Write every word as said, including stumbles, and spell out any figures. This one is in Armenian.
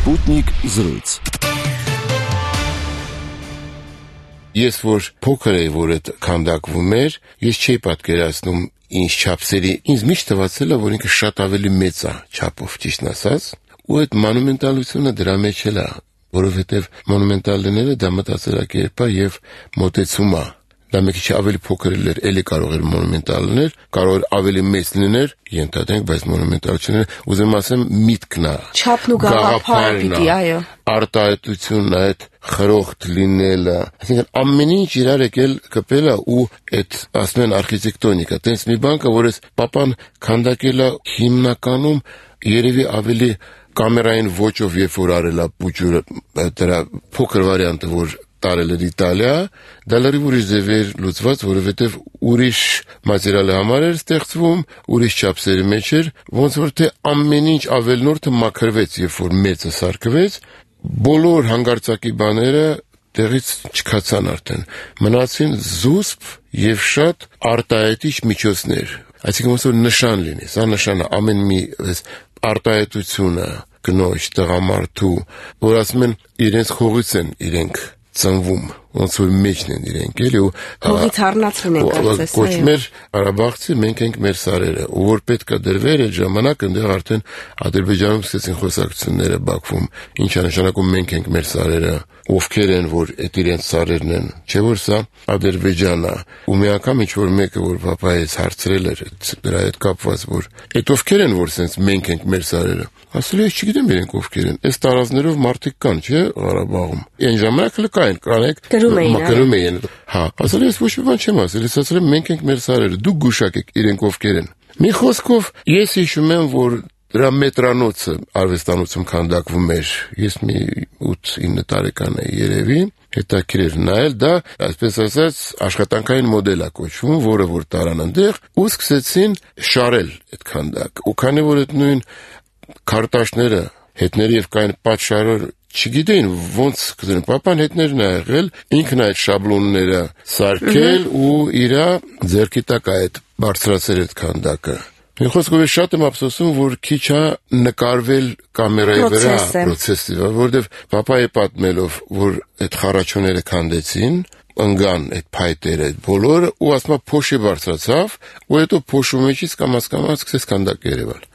Sputnik զրույց։ Ես որ փոքր էի, որ այդ քանդակվում էր, ես չէի պատկերացնում ինչ չափսերի, ինձ միշտ թվացել է, որ ինքը շատ ավելի մեծ է չափով, ճիշտն ասած, ու այդ մոնումենտալությունը դրա մեջ էլ է, որովհետև մոնումենտալները դա մտածելակերպ է եւ մոտեցում է։ Դա մի քիչ ավելի փոքր էր, էլի կարող էր մոնումենտալ լինել, կարող էր ավելի մեծ լինել, ենթադրենք, բայց մոնումենտալությունը, ուզում ասեմ, միտքն է։ Չափն ու գաղափարը պիտի, այո։ Արտահայտությունն է, այդ խրոխտ լինելը, այսինքն ամեն ինչ իրար եկել կպել է ու այդ ասում են արխիտեկտոնիկա, տենց մի բան կա, որ այս պապան քանդակել է հիմնականում երևի ավելի կամերային ոճով, երբ որ արել է պուջուրը, դրա փոքր վարիանտը, որ տարել էր Իտալիա, դա լրիվ ուրիշ ձև էր լուծված, որովհետև ուրիշ մատերիալի համար էր ստեղծվում, ուրիշ չափսերի մեջ էր, ոնց որ թե ամեն ինչ ավելնորդը մաքրվեց, երբ որ մեծը սարքվեց, բոլոր հանգարցակի բաները տեղից չքացան արդեն, մնացին զուսպ եւ շատ արտահայտիչ միջոցներ, այսինքն ոնց որ նշան լինի, սա նշանը ամեն մի արտահայտությունը, կնոջ, տղամարդու, որ ասում են իրենց խողից են իրենք ծնվում, ոնց որ մեջն են իրենք, էլի ու հողից առնացին են կարծես, կոչում էր Ղարաբաղցի, մենք ենք մեր սարերը, ու որ պետք է դրվեր այդ ժամանակ, այնտեղ արդեն Ադրբեջանում սկսեցին խոսակցությունները Բաքվում, ինչ է նշանակում մենք ենք մեր սարերը, ովքեր են, որ այդ իրենց սարերն են, չէ՞ որ սա Ադրբեջանն է, ու մի անգամ ինչ որ մեկը, որ պապայից հարցրել էր դրա հետ կապված, որ այդ ովքեր են, որ սենց մենք ենք մեր սարերը, ասել է, ես չգիտեմ իրենք ովքեր են, այս տարածներով մարդիկ կան, չէ՞ Ղարաբաղում, այն ժամանակ էլ կային, կանեք Գրում էին, հա, ասել ես ոչ մի բան չեմ ասել, ես ասել եմ մենք ենք մեր սարերը, դուք գուշակեք իրենք ովքեր են։ Մի խոսքով ես հիշում եմ, որ դրա մետրանոցը արվեստանոցում քանդակվում էր, ես մի ութ-ինը տարեկան էի երևի, հետաքրքիր էր նայել, դա, այսպես ասած, աշխատանքային մոդել է կոչվում, որը որ տարան այնտեղ, ու սկսեցին շարել այդ քանդակ։ Ու քանի որ այդ նույն քարտաշները հետները եւ կային պատշարոր չգիտեին ոնց կդրեն, պապան հետներն է եղել, ինքն այդ շաբլոնները սարքել ու իրա ձեռքի տակ այդ բարձրացել այդ քանդակը։ Մի խոսքով ես շատ եմ ափսոսում, որ քիչ է նկարվել կամերայի վրա պրոցեսը, որովհետև պապայի պատմելով, որ այդ խառաչոները քանդեցին, ընկան այդ փայտերը, այդ բոլորը, ու ասում է փոշի բարձրացավ, ու հետո փոշու մեջից կամաց-կամաց սկսեց քանդակը երևալ։